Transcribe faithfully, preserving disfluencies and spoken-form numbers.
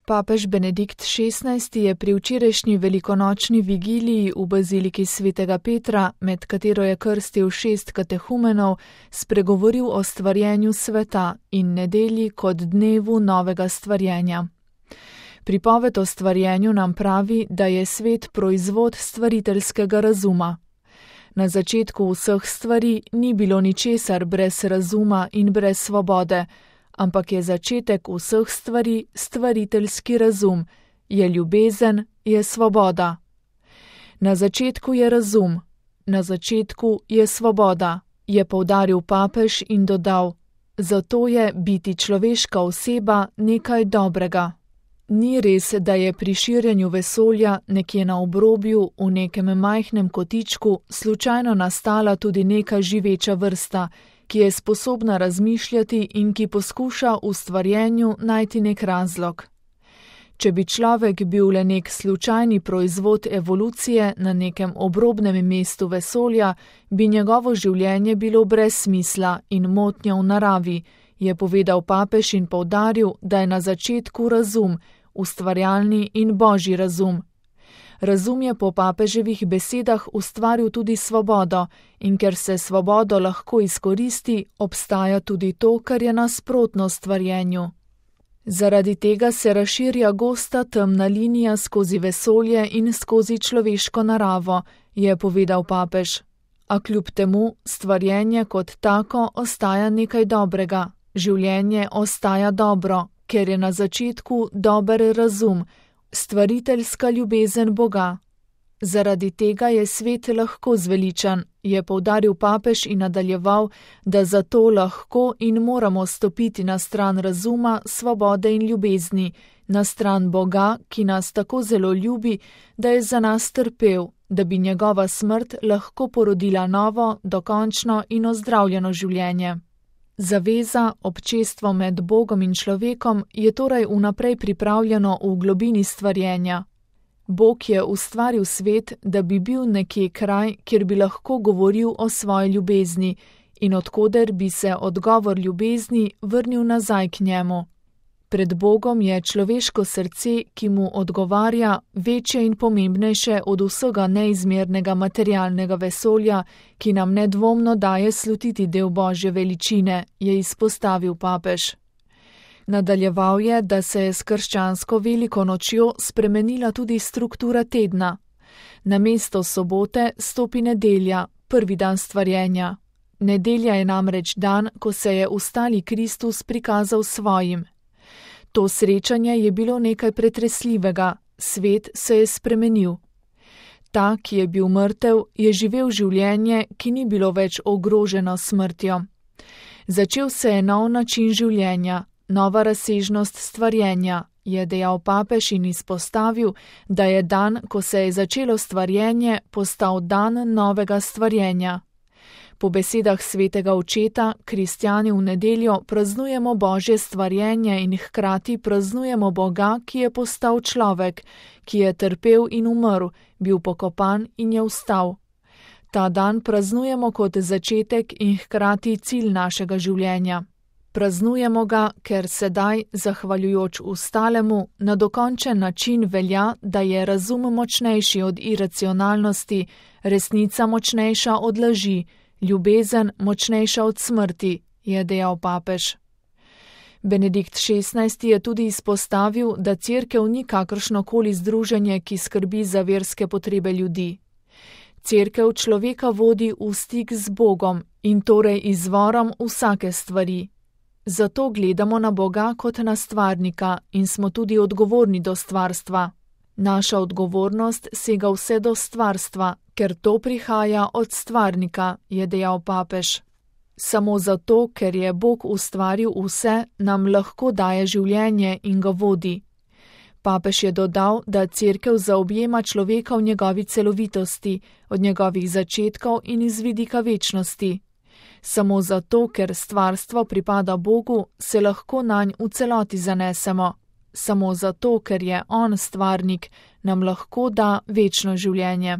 Papež Benedikt šestnajsti je pri včerajšnji velikonočni vigiliji v baziliki svetega Petra, med katero je krstil šest katehumenov, spregovoril o stvarjenju sveta in nedelji kot dnevu novega stvarjenja. Pripoved o stvarjenju nam pravi, da je svet proizvod stvariteljskega razuma. Na začetku vseh stvari ni bilo ničesar brez razuma in brez svobode, ampak je začetek vseh stvari stvariteljski razum, je ljubezen, je svoboda. Na začetku je razum, na začetku je svoboda, je poudaril papež in dodal, zato je biti človeška oseba nekaj dobrega. Ni res, da je pri širjenju vesolja nekje na obrobju v nekem majhnem kotičku slučajno nastala tudi neka živeča vrsta, ki je sposobna razmišljati in ki poskuša v stvarjenju najti nek razlog. Če bi človek bil le nek slučajni proizvod evolucije na nekem obrobnem mestu vesolja, bi njegovo življenje bilo brez smisla in motnja v naravi, je povedal papež in poudaril, da je na začetku razum, ustvarjalni in božji razum. Razum je po papeževih besedah ustvaril tudi svobodo in ker se svobodo lahko izkoristi, obstaja tudi to, kar je nasprotno stvarjenju. Zaradi tega se razširja gosta temna linija skozi vesolje in skozi človeško naravo, je povedal papež. A kljub temu stvarjenje kot tako ostaja nekaj dobrega, življenje ostaja dobro, ker je na začetku dober razum, stvariteljska ljubezen Boga. Zaradi tega je svet lahko zveličan, je poudaril papež in nadaljeval, da zato lahko in moramo stopiti na stran razuma, svobode in ljubezni, na stran Boga, ki nas tako zelo ljubi, da je za nas trpel, da bi njegova smrt lahko porodila novo, dokončno in ozdravljeno življenje. Zaveza, občestvo med Bogom in človekom je torej vnaprej pripravljeno v globini stvarjenja. Bog je ustvaril svet, da bi bil nekje kraj, kjer bi lahko govoril o svoji ljubezni in odkoder bi se odgovor ljubezni vrnil nazaj k njemu. Pred Bogom je človeško srce, ki mu odgovarja, večje in pomembnejše od vsega neizmernega materialnega vesolja, ki nam nedvomno daje slutiti del Božje veličine, je izpostavil papež. Nadaljeval je, da se je s krščansko veliko nočjo spremenila tudi struktura tedna. Namesto sobote stopi nedelja, prvi dan stvarjenja. Nedelja je namreč dan, ko se je ustali Kristus prikazal svojim. To srečanje je bilo nekaj pretresljivega, svet se je spremenil. Ta, ki je bil mrtev, je živel življenje, ki ni bilo več ogroženo smrtjo. Začel se je nov način življenja, nova razsežnost stvarjenja, je dejal papež in izpostavil, da je dan, ko se je začelo stvarjenje, postal dan novega stvarjenja. Po besedah svetega očeta, kristjani v nedeljo praznujemo Božje stvarjenje in hkrati praznujemo Boga, ki je postal človek, ki je trpel in umrl, bil pokopan in je vstal. Ta dan praznujemo kot začetek in hkrati cilj našega življenja. Praznujemo ga, ker sedaj, zahvaljujoč vstalemu, na dokončen način velja, da je razum močnejši od iracionalnosti, resnica močnejša od laži, ljubezen močnejša od smrti, je dejal papež. Benedikt šestnajsti je tudi izpostavil, da cerkev ni kakršnokoli združenje, ki skrbi za verske potrebe ljudi. Cerkev človeka vodi v stik z Bogom in torej izvorom vsake stvari. Zato gledamo na Boga kot na stvarnika in smo tudi odgovorni do stvarstva. Naša odgovornost sega vse do stvarstva, ker to prihaja od stvarnika, je dejal papež. Samo zato, ker je Bog ustvaril vse, nam lahko daje življenje in ga vodi. Papež je dodal, da cerkev zaobjema človeka v njegovi celovitosti, od njegovih začetkov in iz vidika večnosti. Samo zato, ker stvarstvo pripada Bogu, se lahko nanj v celoti zanesemo. Samo zato, ker je on stvarnik, nam lahko da večno življenje.